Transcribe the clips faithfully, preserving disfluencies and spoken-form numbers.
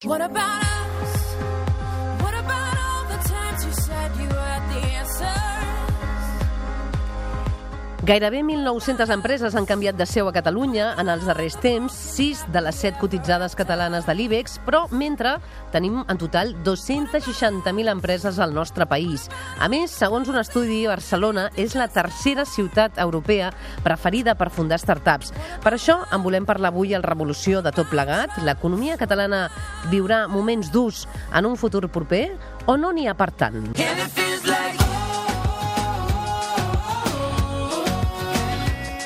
What about us? What about all the times you said you had the answers? Gairebé mil nou-centes empreses han canviat de seu a Catalunya en els darrers temps, sis de les set cotitzades catalanes de l'IBEX, però mentre tenim en total dos-cents seixanta mil empreses al nostre país. A més, segons un estudi, Barcelona és la tercera ciutat europea preferida per fundar startups. Per això en volem parlar avui al Revolució de tot plegat. L'economia catalana viurà moments durs en un futur proper o no n'hi ha per tant?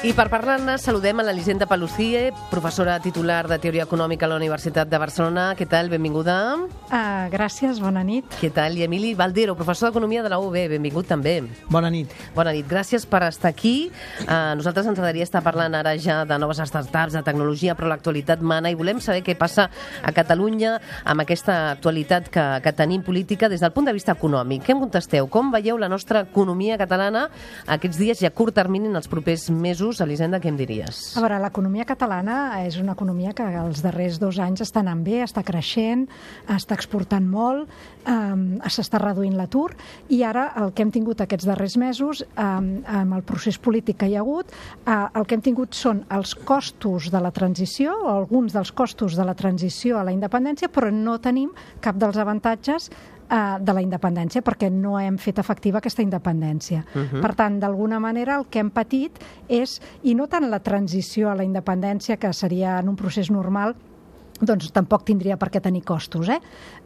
I per parlar-ne saludem a l'Elisenda Paluzie, professora titular de Teoria Econòmica a la Universitat de Barcelona. Què tal? Benvinguda. Uh, gràcies, bona nit. Què tal? I Emili Baldero, professor d'Economia de la U B. Benvingut també. Bona nit. Bona nit. Gràcies per estar aquí. Uh, nosaltres ens agradaria estar parlant ara ja de noves startups, de tecnologia, però l'actualitat mana i volem saber què passa a Catalunya amb aquesta actualitat que, que tenim política des del punt de vista econòmic. Què em contesteu? Com veieu la nostra economia catalana aquests dies i a curt termini en els propers mesos? Elisenda, què em diries? A veure, l'economia catalana és una economia que els darrers dos anys està anant bé, està creixent, està exportant molt, eh, s'està reduint l'atur i ara el que hem tingut aquests darrers mesos, eh, amb el procés polític que hi ha hagut, eh, el que hem tingut són els costos de la transició, o alguns dels costos de la transició a la independència, però no tenim cap dels avantatges de la independència, perquè no hem fet efectiva aquesta independència. Uh-huh. Per tant, d'alguna manera, el que hem patit és, i no tant la transició a la independència, que seria en un procés normal, doncs tampoc tindria per què tenir costos, eh?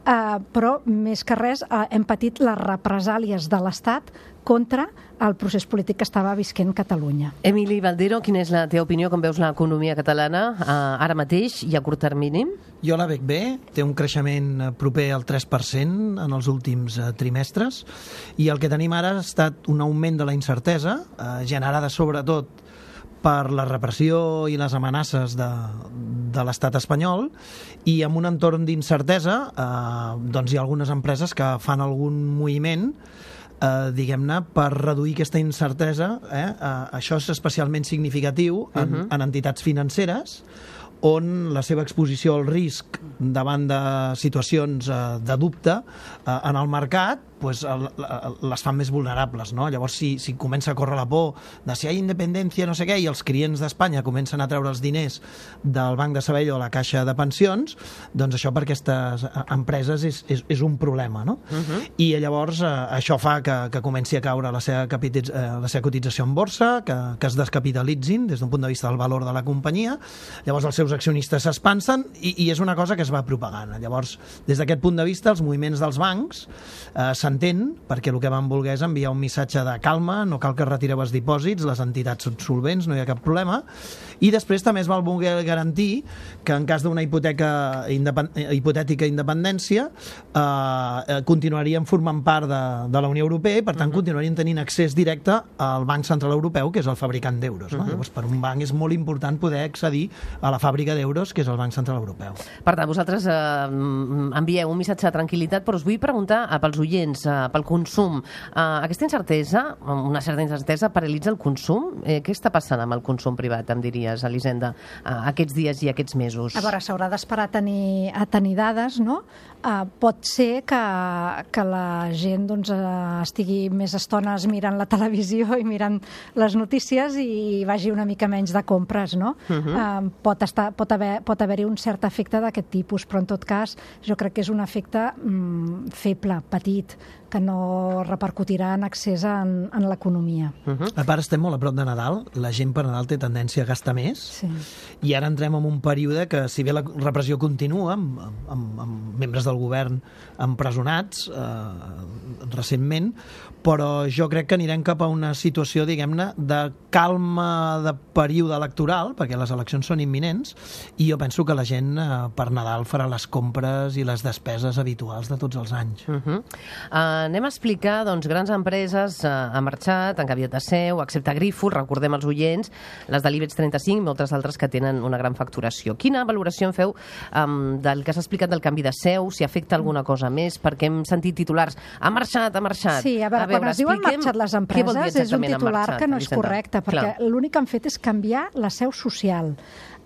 Uh, però, més que res, uh, hem patit les represàlies de l'Estat contra el procés polític que estava visquent Catalunya. Emili Baldero, quina és la teva opinió, com veus l'economia catalana uh, ara mateix i a curt termini? Jo la veig bé, té un creixement proper al tres per cent en els últims uh, trimestres i el que tenim ara ha estat un augment de la incertesa, uh, generada sobretot per la repressió i les amenaces de, de l'estat espanyol, i amb un entorn d'incertesa eh, doncs hi ha algunes empreses que fan algun moviment eh, diguem-ne, per reduir aquesta incertesa. Eh? Eh, això és especialment significatiu en, uh-huh. en entitats financeres, on la seva exposició al risc davant de situacions eh, de dubte eh, en el mercat pues, el, les fan més vulnerables, no? Llavors, si, si comença a córrer la por de si hi ha independència, no sé què, i els clients d'Espanya comencen a treure els diners del Banc de Sabadell o la Caixa de Pensions, doncs això per aquestes empreses és, és, és un problema, no? Uh-huh. I llavors eh, això fa que, que comenci a caure la seva, capititz, eh, la seva cotització en borsa, que, que es descapitalitzin des d'un punt de vista del valor de la companyia. Llavors els seus accionistes s'espansen i, i és una cosa que es va propagant. Llavors, des d'aquest punt de vista, els moviments dels bancs eh, s'entén, perquè el que van voler és enviar un missatge de calma, no cal que retireu els dipòsits, les entitats són solvents, no hi ha cap problema, i després també es va voler garantir que en cas d'una hipoteca independ... hipotètica independència eh, continuarien formant part de, de la Unió Europea i per tant uh-huh. continuarien tenint accés directe al Banc Central Europeu, que és el fabricant d'euros. No? Uh-huh. Llavors, per un banc és molt important poder accedir a la fàbrica d'euros, que és el Banc Central Europeu. Per tant, vosaltres eh, envieu un missatge de tranquil·litat, però us vull preguntar eh, pels oients, eh, pel consum. Eh, aquesta incertesa, una certa incertesa, paralitza el consum? Eh, què està passant amb el consum privat, em diries, Elisenda, eh, aquests dies i aquests mesos? A veure, s'haurà d'esperar a tenir, a tenir dades, no? Eh, pot ser que, que la gent doncs, eh, estigui més estones mirant la televisió i mirant les notícies i vagi una mica menys de compres, no? Uh-huh. eh, pot, estar, pot, haver, pot haver-hi un cert efecte d'aquest tipus, però en tot cas jo crec que és un efecte mm, feble, petit, que no repercutirà en accés en, en l'economia. Uh-huh. A part, estem molt a prop de Nadal, la gent per Nadal té tendència a gastar més, sí. I ara entrem en un període que, si bé la repressió continua, amb, amb, amb membres del govern empresonats eh, recentment, però jo crec que anirem cap a una situació, diguem-ne, de calma de període electoral, perquè les eleccions són imminents, i jo penso que la gent eh, per Nadal farà les compres i les despeses habituals de tots els anys. Uh-huh. Uh, anem a explicar, doncs, grans empreses eh, han marxat, han canviat de seu, excepte Grifols, recordem els oients, les de l'IBEX trenta-cinc, moltes altres que tenen una gran facturació. Quina valoració en feu um, del que s'ha explicat del canvi de seu, si afecta alguna cosa més, perquè hem sentit titulars, ha marxat, ha marxat. Sí, a veure, a veure quan es diu han marxat les empreses, és un titular marxat, que no és correcte, perquè l'únic que han fet és canviar la seu social.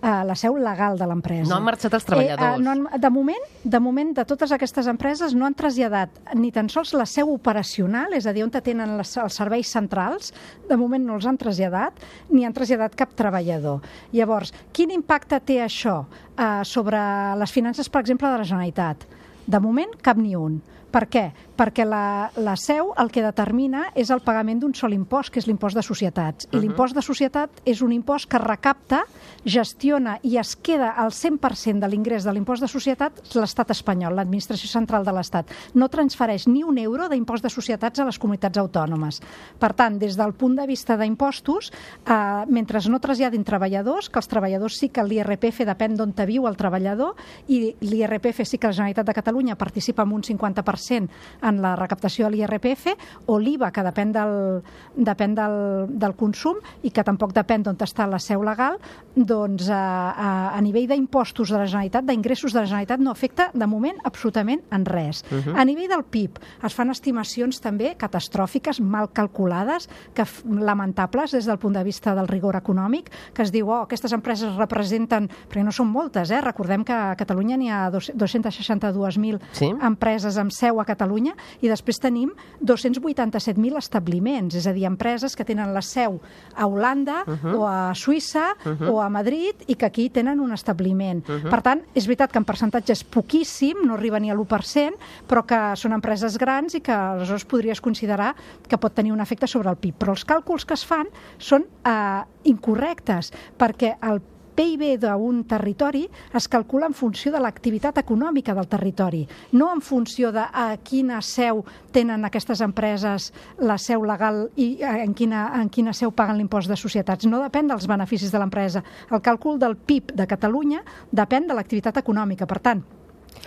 uh, la seu legal de l'empresa. No han marxat els treballadors. Eh, uh, no han, de, moment, de moment, de totes aquestes empreses, no han traslladat ni tan sols la seu operacional, és a dir, on tenen les, els serveis centrals, de moment no els han traslladat, ni han traslladat cap treballador. Llavors, quin impacte té això uh, sobre les finances, per exemple, de la Generalitat? De moment, cap ni un. Per què? Perquè la, la seu el que determina és el pagament d'un sol impost, que és l'impost de societats. I uh-huh. l'impost de societat és un impost que recapta, gestiona i es queda al cent per cent de l'ingrés de l'impost de societats l'estat espanyol, l'administració central de l'Estat. No transfereix ni un euro d'impost de societats a les comunitats autònomes. Per tant, des del punt de vista d'impostos, eh, mentre no traslladin treballadors, que els treballadors sí que l'I R P F depèn d'on te viu el treballador, i l'I R P F sí que la Generalitat de Catalunya participa amb un cinquanta per cent en la recaptació de l'I R P F, o l'I V A, que depèn del, depèn del, del consum i que tampoc depèn d'on està la seu legal, doncs a, a, a nivell d'impostos de la Generalitat, d'ingressos de la Generalitat, no afecta de moment absolutament en res. Uh-huh. A nivell del P I B es fan estimacions també catastròfiques, mal calculades, que lamentables des del punt de vista del rigor econòmic, que es diu, oh, aquestes empreses representen, perquè no són moltes, eh? Recordem que a Catalunya n'hi ha dos-cents seixanta-dos mil sí? empreses amb seu a Catalunya, i després tenim dos-cents vuitanta-set mil establiments, és a dir, empreses que tenen la seu a Holanda uh-huh. o a Suïssa uh-huh. o a Madrid i que aquí tenen un establiment. Uh-huh. Per tant, és veritat que en percentatge és poquíssim, no arriba ni a l'u per cent, però que són empreses grans i que aleshores podries considerar que pot tenir un efecte sobre el P I B. Però els càlculs que es fan són eh, incorrectes, perquè el P I B d'un territori es calcula en funció de l'activitat econòmica del territori, no en funció de a quina seu tenen aquestes empreses la seu legal i en quina, en quina seu paguen l'impost de societats. No depèn dels beneficis de l'empresa. El càlcul del P I B de Catalunya depèn de l'activitat econòmica. Per tant,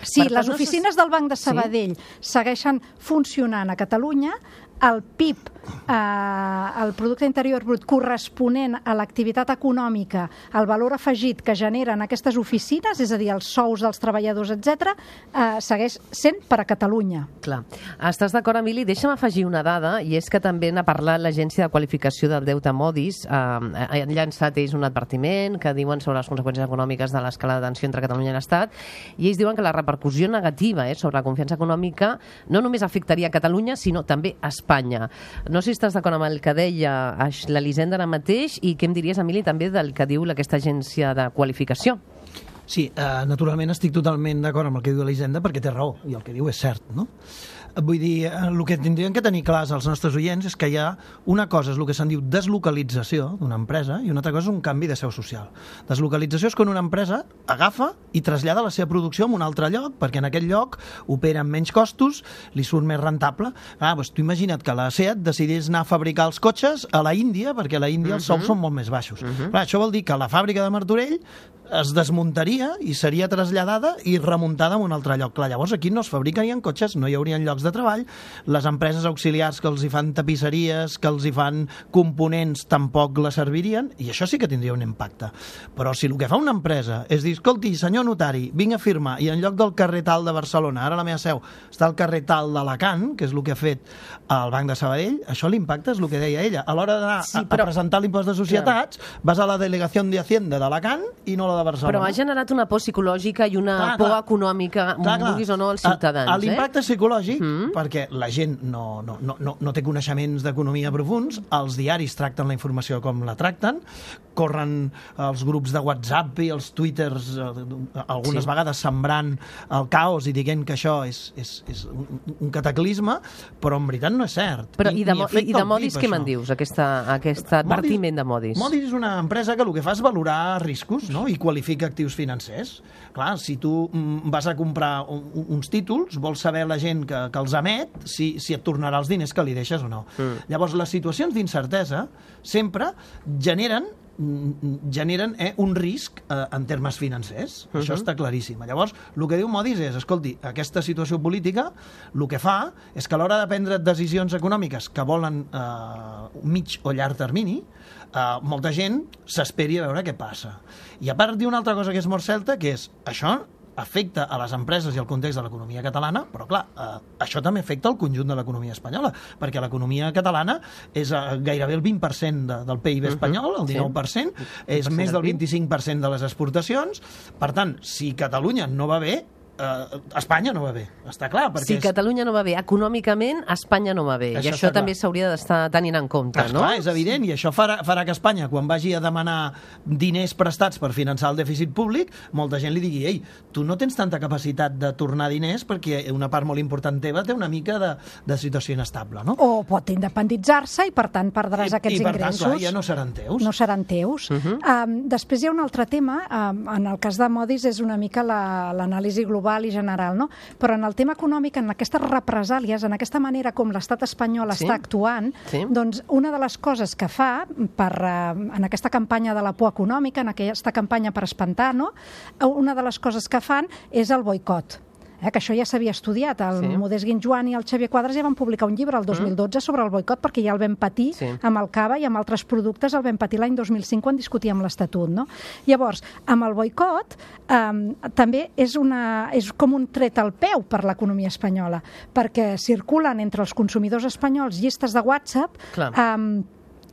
si per les oficines del Banc de Sabadell sí? segueixen funcionant a Catalunya, el P I B, eh, el Producte Interior Brut corresponent a l'activitat econòmica, el valor afegit que generen aquestes oficines, és a dir, els sous dels treballadors, etcètera, eh, segueix sent per a Catalunya. Clar. Estàs d'acord, Emili? Deixa'm afegir una dada, i és que també n'ha parlat l'Agència de Qualificació del Deute Modis. Eh, han llançat ells un advertiment que diuen sobre les conseqüències econòmiques de l'escala de tensió entre Catalunya i l'Estat, i ells diuen que la repercussió negativa eh, sobre la confiança econòmica no només afectaria a Catalunya, sinó també a Espanya. No sé si estàs d'acord amb el que deia l'Elisenda ara mateix, i què em diries, Emili, també del que diu aquesta agència de qualificació? Sí, eh, naturalment estic totalment d'acord amb el que diu l'Elisenda, perquè té raó, i el que diu és cert, no? Vull dir, el que tindrien que tenir clars els nostres oients és que hi ha una cosa, és el que se'n diu deslocalització d'una empresa, i una altra cosa és un canvi de seu social. Deslocalització és quan una empresa agafa i trasllada la seva producció a un altre lloc, perquè en aquest lloc opera amb menys costos, li surt més rentable. Ah, doncs tu imagina't que la SEAT decidís anar a fabricar els cotxes a la Índia, perquè a la Índia uh -huh. els sous són molt més baixos. Uh -huh. Clar, això vol dir que la fàbrica de Martorell es desmuntaria i seria traslladada i remuntada a un altre lloc. Clar, llavors aquí no es fabricarien cotxes, no hi haurien llocs de treball, les empreses auxiliars que els hi fan tapisseries, que els hi fan components, tampoc la servirien, i això sí que tindria un impacte. Però si el que fa una empresa és dir, escolti, senyor notari, vinc a firmar, i en lloc del carrer tal de Barcelona, ara la meva seu està al carrer tal d'Alacant, que és el que ha fet el Banc de Sabadell, això l'impacte és el que deia ella. A l'hora d'anar sí, però... a presentar l'impost de societats, clar, vas a la delegació de Hacienda d'Alacant i no la de Barcelona. Però ha generat una por psicològica i una clar, por clar. econòmica, clar, clar. vulguis o no, als ciutadans. L'impacte eh? psicològic, mm. perquè la gent no, no, no, no, no té coneixements d'economia profuns, els diaris tracten la informació com la tracten, corren els grups de WhatsApp i els Twitters, eh, algunes sí. vegades sembrant el caos i dient que això és, és, és un, un cataclisme, però en veritat no és cert. Però I, i de, i de Modis què me'n dius, aquesta, aquest advertiment de Modis? Modis és una empresa que el que fa és valorar riscos, no? I qualifica actius financers. Clar, si tu mm, vas a comprar un, uns títols, vols saber la gent que, que els emet si, si et tornarà els diners que li deixes o no. Mm. Llavors, les situacions d'incertesa sempre generen generen eh, un risc eh, en termes financers. Uh-huh. Això està claríssim. Llavors, el que diu Modis és, escolti, aquesta situació política el que fa és que a l'hora de prendre decisions econòmiques que volen eh, mig o llarg termini, eh, molta gent s'esperi a veure què passa. I a part diu una altra cosa que és molt certa, que és, això afecta a les empreses i al context de l'economia catalana, però clar, eh, això també afecta al conjunt de l'economia espanyola, perquè l'economia catalana és eh, gairebé el vint per cent de, del P I B espanyol, el dinou per cent, és més del vint-i-cinc per cent de les exportacions. Per tant, si Catalunya no va bé, Uh, Espanya no va bé, està clar. Si és... Catalunya no va bé econòmicament, Espanya no va bé. Això I això també s'hauria d'estar tenint en compte, és no? Clar, és evident, i això farà, farà que Espanya, quan vagi a demanar diners prestats per finançar el dèficit públic, molta gent li digui, ei, tu no tens tanta capacitat de tornar diners perquè una part molt important teva té una mica de, de situació inestable, no? O pot independitzar-se i, per tant, perdràs I, aquests i per ingressos. tant, clar, ja no seran teus. No seran teus. Uh -huh. um, després hi ha un altre tema, um, en el cas de Modis és una mica l'anàlisi la, global i general, no? Però en el tema econòmic, en aquestes represàlies, en aquesta manera com l'estat espanyol sí? està actuant, sí? doncs una de les coses que fa per, uh, en aquesta campanya de la por econòmica, en aquesta campanya per espantar, no? Una de les coses que fan és el boicot. Eh, que això ja s'havia estudiat. El sí. Modest Guinjoan i el Xavier Quadras ja van publicar un llibre el dos mil dotze mm. sobre el boicot, perquè ja el vam patir sí. amb el cava i amb altres productes, el vam patir l'any dos mil cinc quan discutíem l'Estatut. No? Llavors, amb el boicot eh, també és, una, és com un tret al peu per l'economia espanyola, perquè circulen entre els consumidors espanyols llistes de WhatsApp eh,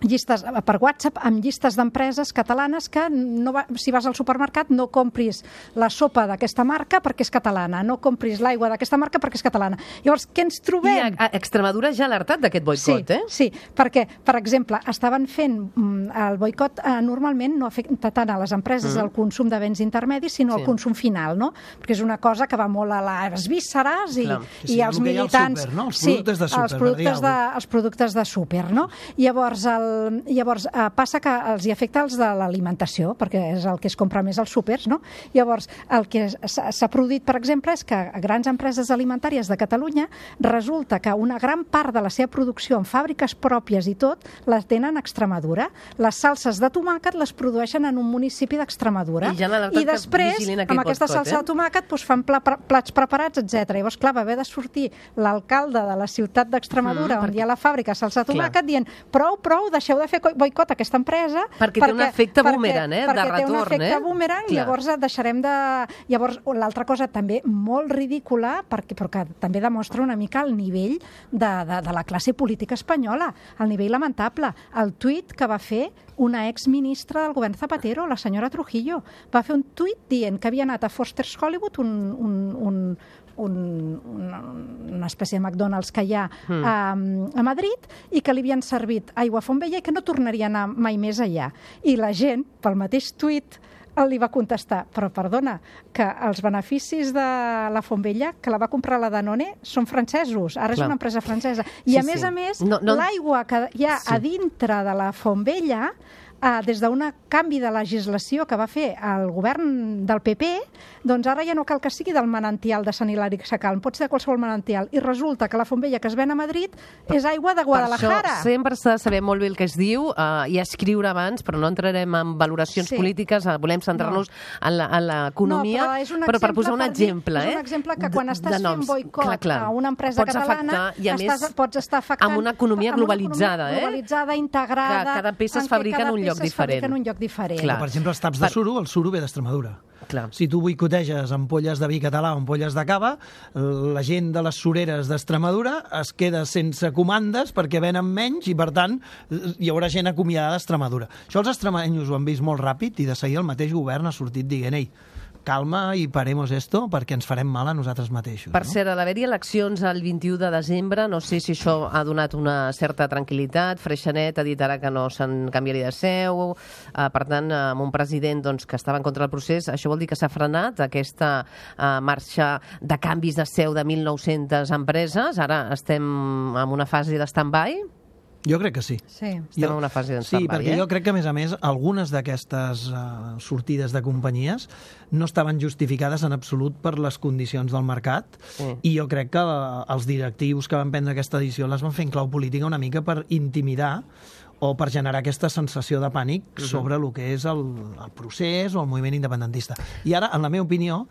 llistes per WhatsApp amb llistes d'empreses catalanes que no va, si vas al supermercat no compris la sopa d'aquesta marca perquè és catalana, no compris l'aigua d'aquesta marca perquè és catalana. Llavors, què ens trobem? I a, a Extremadura ja ha alertat d'aquest boicot, sí, eh? Sí, perquè, per exemple, estaven fent el boicot eh, normalment no afecta tant a les empreses mm. el consum de béns intermedis, sinó sí. el consum final, no? Perquè és una cosa que va molt a les vísceres i, sí, sí, i els militants... Super, no? Els productes de súper, els productes de, els productes de súper, no? Llavors, el Llavors, eh, passa que els hi afecta els de l'alimentació, perquè és el que es compra més als súpers, no? Llavors, el que s'ha produït, per exemple, és que a grans empreses alimentàries de Catalunya resulta que una gran part de la seva producció en fàbriques pròpies i tot, les tenen a Extremadura. Les salses de tomàquet les produeixen en un municipi d'Extremadura. I, ja I després, amb aquesta salsa eh? de tomàquet, doncs, fan pla, plats preparats, etcètera. Llavors, clar, va haver de sortir l'alcalde de la ciutat d'Extremadura, mm, on perquè... hi ha la fàbrica de salsa de tomàquet, dient prou, prou, deixeu de fer boicot a aquesta empresa perquè, perquè té un efecte boomerang, eh, de retorn, perquè té un efecte eh? boomerang i llavors deixarem de... Llavors, l'altra cosa també molt ridícula, perquè, però que també demostra una mica el nivell de, de, de la classe política espanyola, el nivell lamentable. El tuit que va fer una exministra del govern Zapatero, la senyora Trujillo, va fer un tuit dient que havia anat a Foster's Hollywood, un, un, un, un, una, una espècie de McDonald's que hi ha mm. a, a Madrid, i que li havien servit aigua a Fontvella i que no tornaria a anar mai més allà. I la gent, pel mateix tuit, li va contestar, però perdona, que els beneficis de la Fontvella, que la va comprar la Danone, són francesos, ara Clar. és una empresa francesa. I sí, a més sí. a més, no, no... l'aigua que hi ha sí. a dintre de la Fontvella, eh, des d'un canvi de legislació que va fer el govern del P P, doncs ara ja no cal que sigui del manantial de Sant Hilari Sacalm, pot ser de qualsevol manantial, i resulta que la Fontvella que es ven a Madrid és aigua de Guadalajara. Per això sempre s'ha de saber molt bé el que es diu eh, i escriure abans, però no entrarem en valoracions sí. polítiques, eh, volem centrar-nos no. en l'economia, no, però, però per posar un exemple. Per dir, eh? És un exemple que quan estàs fent boicot clar, clar. a una empresa pots catalana, afectar, i a estàs, més, pots estar afectant... amb una economia globalitzada, amb una economia globalitzada, eh? integrada... Que cada peça es fabrica en un lloc diferent. En un lloc diferent. Clar. Per exemple, els taps de suro, el suro ve d'Extremadura. Clar. Si tu boicoteges ampolles de vi català o ampolles de cava, la gent de les sureres d'Extremadura es queda sense comandes perquè venen menys i, per tant, hi haurà gent acomiadada d'Extremadura. Això els extremenys ho han vist molt ràpid i de seguir el mateix govern ha sortit dient ei, calma i paremos esto perquè ens farem mal a nosaltres mateixos. Per no? cert, a l'haver-hi eleccions el vint-i-u de desembre, no sé si això ha donat una certa tranquil·litat. Freixanet ha dit ara que no se'n canviaria de seu, eh, per tant, amb un president doncs, que estava en contra del procés, això vol dir que s'ha frenat aquesta eh, marxa de canvis de seu de mil nou-centes empreses. Ara estem en una fase de stand-by. Jo crec que sí. Sí. Estem en una fase de stand-by, Sí, perquè eh? jo crec que, a més a més, algunes d'aquestes uh, sortides de companyies no estaven justificades en absolut per les condicions del mercat sí. i jo crec que uh, els directius que van prendre aquesta edició les van fer en clau política una mica per intimidar o per generar aquesta sensació de pànic uh-huh. sobre el que és el, el procés o el moviment independentista. I ara, en la meva opinió,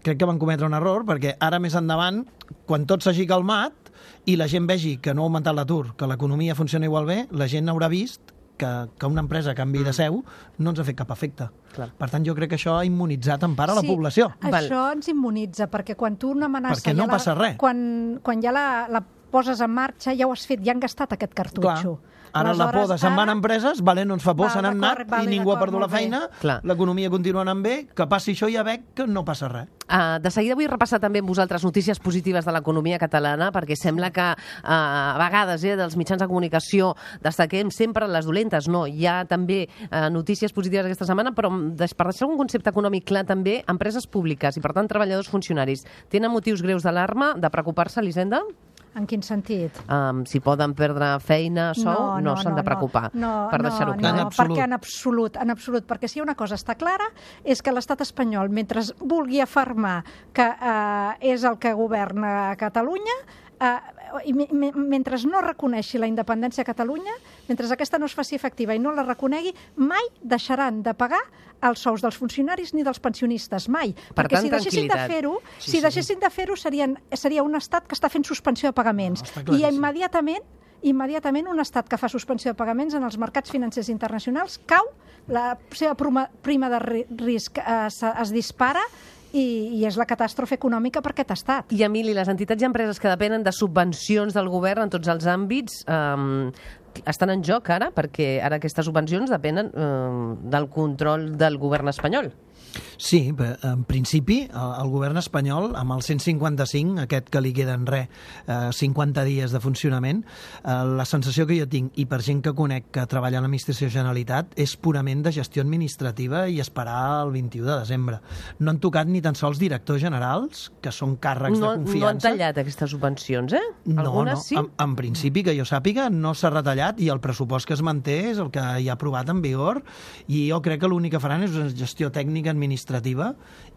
crec que van cometre un error, perquè ara més endavant, quan tot s'hagi calmat i la gent vegi que no ha augmentat l'atur, que l'economia funciona igual bé, la gent haurà vist que, que una empresa canvi de seu no ens ha fet cap efecte. Clar. Per tant, jo crec que això ha immunitzat en part a la Sí, població. això ens immunitza, perquè quan tu una amenaça... Perquè no ja la, passa res. Quan, quan ja la, la poses en marxa, ja ho has fet, ja han gastat aquest cartutxo. Clar. Ara la por de se'n van ara- empreses, vale, no ens fa por, Val, se n'han d'acord, anat vale, i ningú ha d'acord, perdut la molt bé. feina, Clar. l'economia continua anant bé, que passi això i ja veig que no passa res. Uh, de seguida vull repassar també amb vosaltres notícies positives de l'economia catalana, perquè sembla que uh, a vegades eh, dels mitjans de comunicació destaquem sempre les dolentes. No, hi ha també uh, notícies positives aquesta setmana, però des- per deixar un concepte econòmic clar també, empreses públiques i per tant treballadors funcionaris tenen motius greus d'alarma, de preocupar-se, Elisenda? En quin sentit? Um, si poden perdre feina, sou, no, s'han de preocupar, no, per deixar-ho no, clar. En No, absolut. perquè en absolut, en absolut, perquè si una cosa està clara és que l'estat espanyol, mentre vulgui afermar que eh, és el que governa a Catalunya, eh, i me- me- mentre no reconeixi la independència a Catalunya, mentre aquesta no es faci efectiva i no la reconegui, mai deixaran de pagar els sous dels funcionaris ni dels pensionistes, mai. Per perquè tant, si deixessin de tranquil·litat. fer-ho, Sí, si sí. deixessin de fer-ho serien, seria un estat que està fent suspensió de pagaments. No, està I claríssim. immediatament immediatament un estat que fa suspensió de pagaments en els mercats financers internacionals cau, la seva prima, prima de ri- risc eh, es, es dispara i, i és la catàstrofe econòmica per aquest estat. I, Emili, les entitats i empreses que depenen de subvencions del govern en tots els àmbits um, estan en joc ara, perquè ara aquestes subvencions depenen um, del control del govern espanyol. Sí, bé, en principi, el, el govern espanyol, amb el cent cinquanta-cinc, aquest que li queden res, eh, cinquanta dies de funcionament, eh, la sensació que jo tinc, i per gent que conec que treballa a l'administració Generalitat, és purament de gestió administrativa i esperar el vint-i-u de desembre. No han tocat ni tan sols directors generals, que són càrrecs No, de no han confiança. tallat aquestes subvencions, eh? No, Algunes no. sí? En, en principi, que jo sàpiga, no s'ha retallat i el pressupost que es manté és el que hi ha aprovat en vigor i jo crec que l'únic que faran és una gestió tècnica administrativa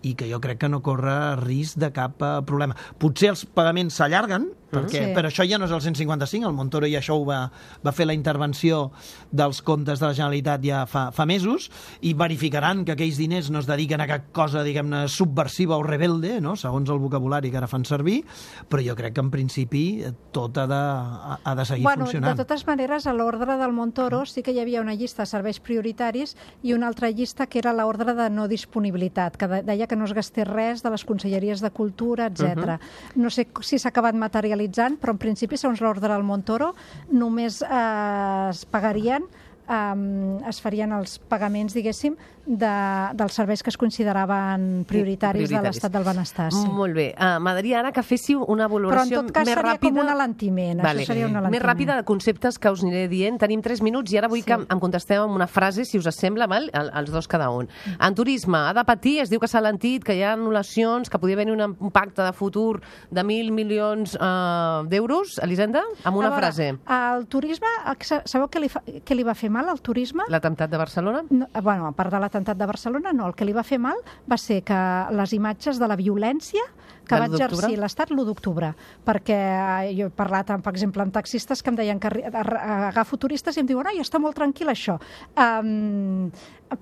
i que jo crec que no corre risc de cap eh, problema. Potser els pagaments s'allarguen, perquè, Sí. però això ja no és el cent cinquanta-cinc, el Montoro ja això ho va, va fer la intervenció dels comptes de la Generalitat ja fa, fa mesos i verificaran que aquells diners no es dediquen a cap cosa, diguem-ne, subversiva o rebelde, no? Segons el vocabulari que ara fan servir, però jo crec que en principi eh, tot ha de, ha, ha de seguir Bueno, funcionant. de totes maneres, a l'ordre del Montoro sí que hi havia una llista de serveis prioritaris i una altra llista que era l'ordre de no disponibilitat, que de- deia que no es gastés res de les conselleries de Cultura, etcètera. No sé si s'ha acabat materialitzant, però en principi, segons l'ordre del Montoro, només eh, es pagarien Um, es farien els pagaments, diguéssim, de, dels serveis que es consideraven prioritaris, de l'estat del benestar. Sí. Molt bé. Uh, M'agradaria ara que féssiu una Però en valoració tot cas més seria ràpida. com un alentiment. Vale. Això seria un alentiment. Més ràpida de conceptes que us aniré dient. Tenim tres minuts i ara vull Sí. que em contesteu amb una frase, si us sembla, val? El- els dos cada un. En turisme, ha de patir, es diu que s'ha alentit, que hi ha anul·lacions, que podria haver un, un pacte de futur de mil milions uh, d'euros. Elisenda, amb una A veure, frase. El turisme, sabeu què li, fa, què li va fer mal al turisme? L'atemptat de Barcelona? No, bueno, a part de l'atemptat de Barcelona, no. El que li va fer mal va ser que les imatges de la violència que De va l'u d'octubre? exercir l'Estat l'u d'octubre, perquè eh, jo he parlat, amb, per exemple, amb taxistes que em deien que arri- ar- agafo turistes i em diuen, ai, està molt tranquil això. Um,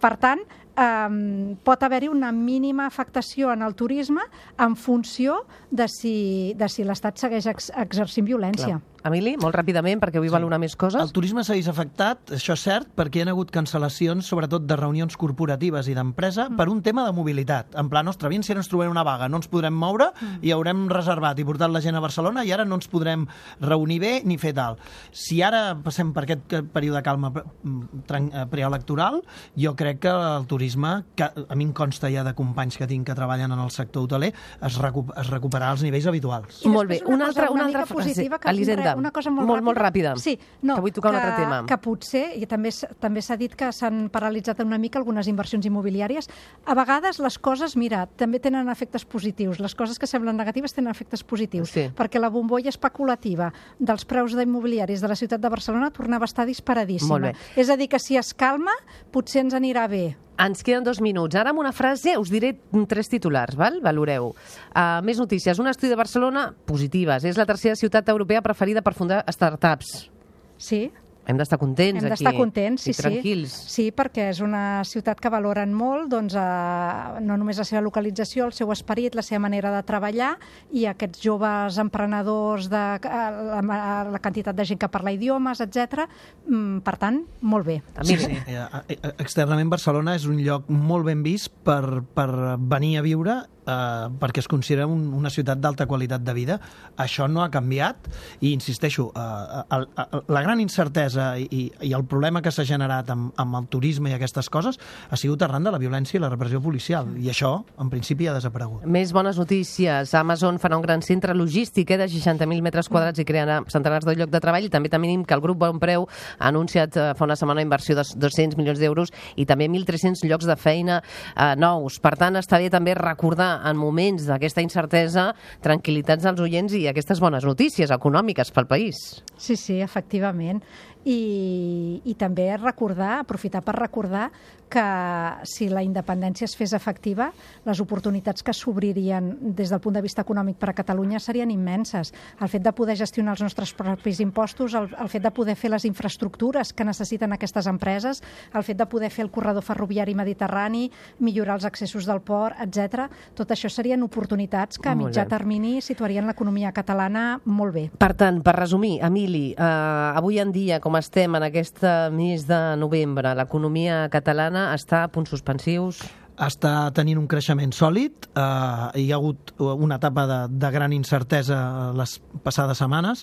per tant, um, pot haver-hi una mínima afectació en el turisme en funció de si, de si l'Estat segueix ex exercint violència. Clar. Emili, molt ràpidament, perquè vull valorar més coses. El turisme segueix afectat, això és cert, perquè hi ha hagut cancel·lacions, sobretot de reunions corporatives i d'empresa, mm. per un tema de mobilitat. En plan, ostres, si ara ens trobem una vaga, no ens podrem moure mm. i haurem reservat i portat la gent a Barcelona i ara no ens podrem reunir bé ni fer tal. Si ara passem per aquest període de calma preelectoral, jo crec que el turisme, que a mi em consta ja de companys que tinc que treballen en el sector hoteler, es, recu es recuperarà als nivells habituals. I Molt bé, després una, altra, cosa una mica altra frase. positiva que Elisenda, una cosa molt, molt, ràpida. molt ràpida, Sí, no, que vull tocar un altre tema. Que potser, i també s- també s'ha dit que s'han paralitzat una mica algunes inversions immobiliàries, a vegades les coses, mira, també tenen efectes positius. Les coses que semblen negatives tenen efectes positius, Sí. perquè la bombolla especulativa dels preus d'immobiliaris de la ciutat de Barcelona tornava a estar disparadíssima. Molt bé. És a dir, que si es calma, potser ens anirà bé. Ens queden dos minuts. Ara amb una frase us diré tres titulars, val? Valoreu. Uh, més notícies. Un estudi de Barcelona, positives. És la tercera ciutat europea preferida per fundar startups. Sí? Hem d'estar contents Hem aquí. d'estar contents, sí, i tranquils. sí. Sí, perquè és una ciutat que valoren molt, doncs, eh, no només la seva localització, el seu esperit, la seva manera de treballar, i aquests joves emprenedors, de, la, la quantitat de gent que parla idiomes, etcètera. Per tant, molt bé. Sí, sí. Eh, externament Barcelona és un lloc molt ben vist per, per venir a viure, eh, perquè es considera un, una ciutat d'alta qualitat de vida. Això no ha canviat i, insisteixo, eh, el, el, la gran incertesa i, i el problema que s'ha generat amb, amb el turisme i aquestes coses ha sigut arran de la violència i la repressió policial, i això, en principi, ha desaparegut. Més bones notícies. Amazon farà un gran centre logístic eh, de seixanta mil metres quadrats i crearà centenars de llocs de treball, i també tenim que el grup Bonpreu ha anunciat eh, fa una setmana una inversió de dos-cents milions d'euros i també mil tres-cents llocs de feina eh, nous. Per tant, està bé també recordar en moments d'aquesta incertesa tranquil·litats als oients i aquestes bones notícies econòmiques pel país. Sí, sí, efectivament. I, i també recordar, aprofitar per recordar que si la independència es fes efectiva, les oportunitats que s'obririen des del punt de vista econòmic per a Catalunya serien immenses. El fet de poder gestionar els nostres propis impostos, el, el fet de poder fer les infraestructures que necessiten aquestes empreses, el fet de poder fer el corredor ferroviari mediterrani, millorar els accessos del port, etcètera. Tot això serien oportunitats que a Molt mitjà bé. termini situarien l'economia catalana molt bé. Per tant, per resumir, Emili, eh, avui en dia, com estem en aquest mes de novembre, l'economia catalana està a punts suspensius? Està tenint un creixement sòlid, eh, hi ha hagut una etapa de, de gran incertesa les passades setmanes,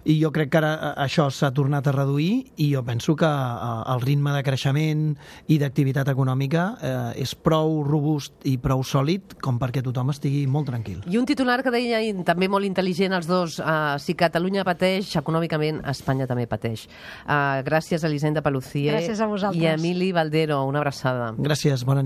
i jo crec que ara això s'ha tornat a reduir, i jo penso que eh, el ritme de creixement i d'activitat econòmica eh, és prou robust i prou sòlid com perquè tothom estigui molt tranquil. I un titular que deia, i també molt intel·ligent els dos, eh, si Catalunya pateix, econòmicament Espanya també pateix. Eh, gràcies a Elisenda Paluzie Gràcies a vosaltres. i a Emili Baldero. Una abraçada. Gràcies, bona nit.